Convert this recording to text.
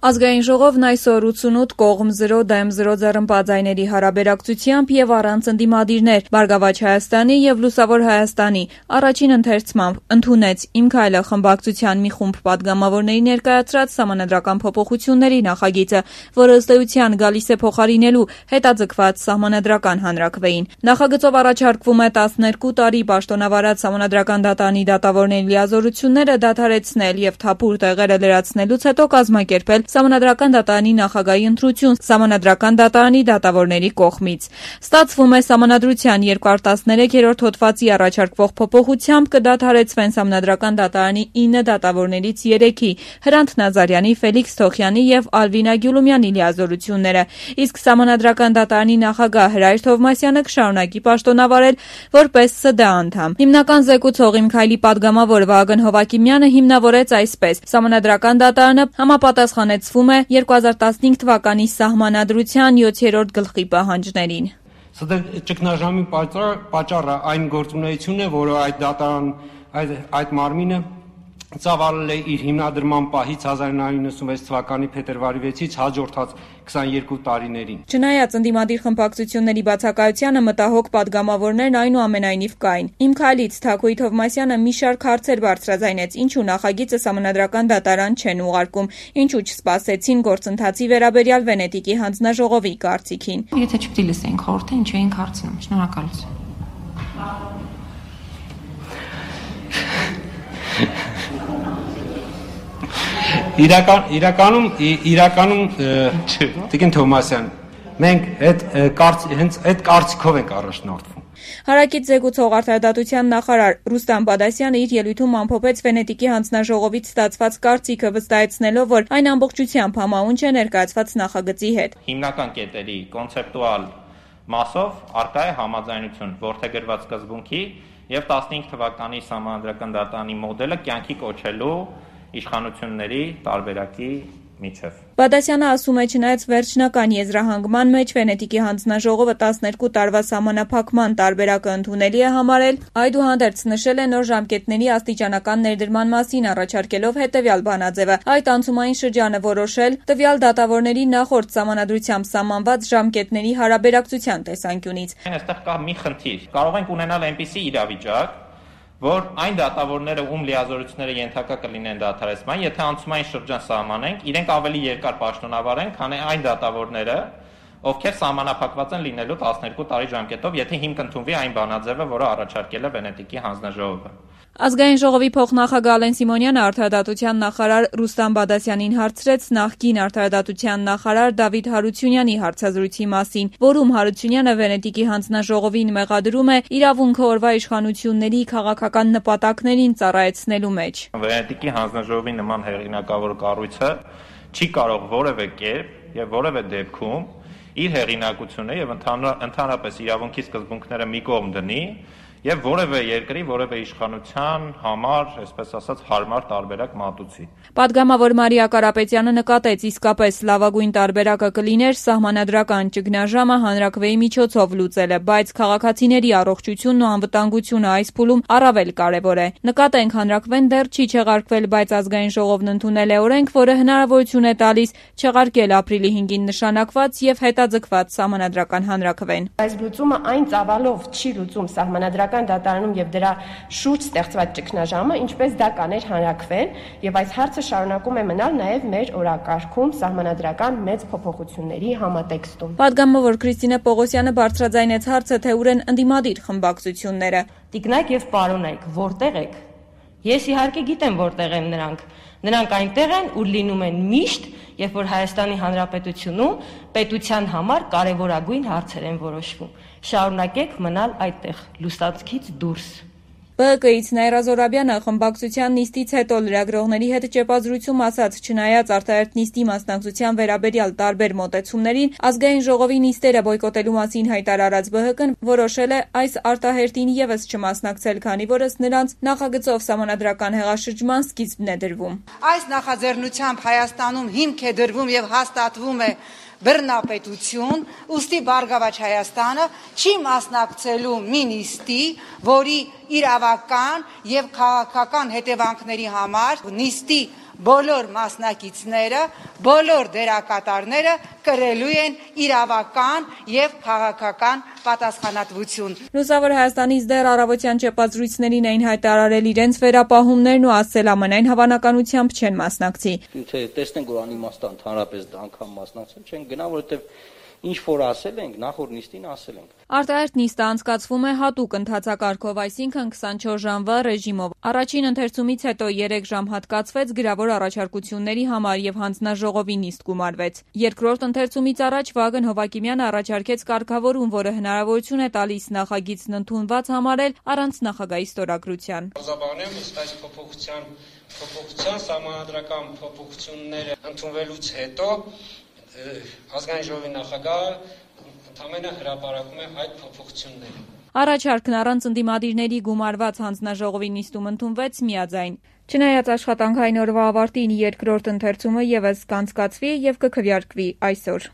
Ազգային ժողովն այսօր 88 կողմ 0 դեմ 0 ձեռնպատայների հարաբերակցությամբ եւ առանց ընդդիմադիրներ Բարգավաճ Հայաստանի եւ Լուսավոր Հայաստանի առաջին ընթերցմամբ ընդունեց «Իմ քայլը» խմբակցության մի խումբ պատգամավորների ներկայացրած սահմանադրական փոփոխությունների նախագիծը, որը ըստ էության գալիս է փոխարինելու հետաձգված սահմանադրական հանրաքվեին։ Նախագծով առաջարկվում է 12 տարի պաշտոնավարած սահմանադրական դատարանի դատավորների լիազորությունները դադարեցնել եւ թափուր տեղերը լրացնելուց հետո կազմակերպել Սահմանադրական դատարանի նախագահի ընտրություն Սահմանադրական դատարանի դատավորների կողմից։ Ստացվում է Սահմանադրության 213-րդ հոդվածի առաջարկվող փոփոխությամբ կդադարեցվեն Սահմանադրական դատարանի 9 դատավորներից 3-ի՝ Հրանտ Նազարյանի, Ֆելիքս Թոխյանի եւ Ալվինա Գյուլումյանի լիազորությունները, իսկ Սահմանադրական դատարանի նախագահ Հրայր Թովմասյանը կշարունակի պաշտոնավարել որպես ՍԴ անդամ։ Հիմնական զեկուցող «Իմ քայլի» պատգամավոր Վահագն Հովակիմյանը հիմնավորեց այսպես. Սահմանադրական դատարանը համապատասխանեցվում է 2015 թվականի Սահմանադրության 7-րդ գլխի պահանջներին։ ՍԴ ճգնաժամի պատճառը այն գործունեությունն է, որը այդ մարմինը ծավալել է իր հիմնադրման պահից 1996 թվականի փետրվարի 6-ից հաջորդած 22 տարիներին։ Չնայած ընդդիմադիր խմբակցությունների բացակայությանը մտահոգ պատգամավորներն այնուամենայնիվ կային։ «Իմ քայլից» Թաքուի Թովմասյանը մի շարք հարցեր բարձրաձայնեց, ինչու նախագիծը Սահմանադրական դատարան չեն ուղարկում, ինչու չսպասեցին գործընթացի վերաբերյալ Վենետիկի հանձնաժողովի կարծիքին։ Եթե չպետք է լսեինք խորհուրդը, ինչու էինք հարցնում։ Շնորհակալություն։ Իրականում Տիկին Թովմասյան, մենք հենց այդ կարծիքով ենք առաջնորդվում։ Հարակից զեկուցող արդարադատության նախարար Ռուստամ Բադասյանը իր ելույթում ամփոփեց Վենետիկի հանձնաժողովից ստացված կարծիքը, վստահեցնելով, որ այն ամբողջությամբ համաունչ է ներկայացված նախագծի հետ։ Հիմնական կետերի կոնցեպտուալ մասով առկա է համաձայնություն որդեգրված սկզբունքի եւ 15 թվականի Սահմանադրական դատարանի մոդելը կյանքի կոչելու իշխանությունների տարբերակի միջև։ Բադասյանը ասում է, չնայած վերջնական եզրահանգման մեջ Վենետիկի հանձնաժողովը 12 տարվա սահմանափակման տարբերակը ընդունելի է համարել, այդուհանդերձ նշել է նոր ժամկետների աստիճանական ներդրման մասին, առաջարկելով հետևյալ բանաձևը. այդ անցումային շրջանը որոշել տվյալ դատավորների նախորդ սահմանադրությամբ սահմանված ժամկետների հարաբերակցության տեսանկյունից։ Այստեղ կա մի խնդիր։ Կարող ենք ունենալ այնպիսի իրավիճակ, որ այն դատավորները, ում լիազորությունները ենթակա կլինեն դադարեցման, եթե անցումային շրջան սահմանենք, իրենք ավելի երկար պաշտոնավարեն, քան այն դատավորները, ովքեր սահմանափակված են լինելու 12 տարի ժամկետով, եթե հիմք ընդունվի այն բանաձևը, որը առաջարկել է Վենետիկի հանձնաժողովը։ Ազգային ժողովի փոխնախագահ Ալեն Սիմոնյանը արդարադատության նախարար Ռուստամ Բադասյանին հարցրեց նախկին արդարադատության նախարար Դավիթ Հարությունյանի հարցազրույցի մասին, որում Հարությունյանը Վենետիկի հանձնաժողովին մեղադրում է իրավունքը օրվա իշխանությունների քաղաքական նպատակներին ծառայեցնելու մեջ։ Վենետիկի հանձնաժողովի նման հեղինակավոր կառույցը չի կարող որևէ կերպ եւ որևէ դեպքում իր հեղինակությունը եւ ընդհանրապես իրավունքի սկզբունքները մի կողմ դնի եւ որևէ երկրի, որևէ իշխանության համար, այսպես ասած, հարմար տարբերակ մատուցի։ Պատգամավոր Մարիա Կարապետյանը նկատեց, իսկապես լավագույն տարբերակը կլիներ սահմանադրական ճգնաժամը հանրաքվեի միջոցով լուծելը, բայց քաղաքացիների առողջությունն ու անվտանգությունը այս փուլում առավել կարևոր է։ Նկատենք, հանրաքվեն դեռ չի չեղարկվել, բայց ազգային ժողովն ընդունել է օրենք, որը հնարավորություն է տալիս չեղարկել ապրիլի 5-ին նշանակված եւ հետաձգված սահմանադրական հանրաքվեն։ Այս լուծումը այն ծավալով չի լուծում սահմանադրական դատարանում եւ դրա շուրջ ստեղծված ճգնաժամը, ինչպես դա կաներ հանրաքվեն, եւ այս հարցը շարունակում է մնալ նաեւ մեր օրակարգում սահմանադրական մեծ փոփոխությունների համատեքստում։ Պատգամավոր Քրիստինե Պողոսյանը բարձրաձայնեց հարցը, թե ուր են ընդդիմադիր խմբակցությունները։ Տիկնայք եւ պարոնայք, որտեղ եք։ Ես իհարկե գիտեմ որտեղ են նրանք։ Նրանք այնտեղ են, ուր լինում են միշտ, երբ որ Հայաստանի Հանրապետությունում պետության համար կարևորագույն հարցեր են որոշվում։ Շարունակեք մնալ այդտեղ, լուսանցքից դուրս։ ԲՀԿ-ից Նաիրա Զորաբյանը խմբակցության նիստից հետո լրագրողների հետ ճեպազրույցում ասաց, չնայած արտահերթ նիստի մասնակցության վերաբերյալ տարբեր մոտեցումներին, ազգային ժողովի նիստերը բոյկոտելու մասին հայտարարած ԲՀԿ-ն որոշել է այս արտահերթին եւս չմասնակցել, քանի որ ըստ նրանց նախագծով սահմանադրական հեղաշրջման սկիզբն է դրվում։ Այս նախաձեռնությամբ Հայաստանում հիմք է դրվում եւ հաստատվում է բռնապետություն, ուստի Բարգավաճ Հայաստանը չի մասնակցելու մի նիստի, որի իրավական եւ քաղաքական հետևանքների համար նիստի բոլոր մասնակիցները, բոլոր դերակատարները կրելու են իրավական եւ քաղաքական պատասխանատվություն։ Լուսավոր Հայաստանից դեռ առավոտյան չեպած զրույցներին էին հայտարարել իրենց վերապահումներն ու ասել ամենայն հավանականությամբ չեն մասնակցի։ Թե տեսնենք, որ անիմաստ ընդհանրապես դա անգամ մասնակցել չեն գնա, որովհետեւ ինչ որ ասել ենք, նախորդ նիստին ասել ենք։ Արտահերթ նիստը անցկացվում է հատուկ ընթացակարգով, այսինքն 24 ժամվա ռեժիմով։ Առաջին ընթերցումից հետո 3 ժամ հատկացվեց գրավոր առաջարկությունների համար եւ հանձնաժողովի նիստ գումարվեց։ Երկրորդ ընթերցումից առաջ Վագն Հովակիմյանը առաջարկեց կարգավորում, որը հնարավորություն է տալիս նախագիծն ընդունված համարել առանց նախագահի ստորագրության։ Բարձաբանեմ այս փոփոխության սահմանադրական փոփոխությունները ընդունվելուց հետո ազգային ժողովի նախագահը ընդամենը հրապարակում է այդ փոփոխությունները։ Առաջարկն առանց ընդդիմադիրների գումարված հանձնաժողովի նիստում ընդունվեց միաձայն։ Չնայած աշխատանքային օրվա ավարտին երկրորդ ընթերցումը եւս կանցկացվի եւ կքվեարկվի այսօր։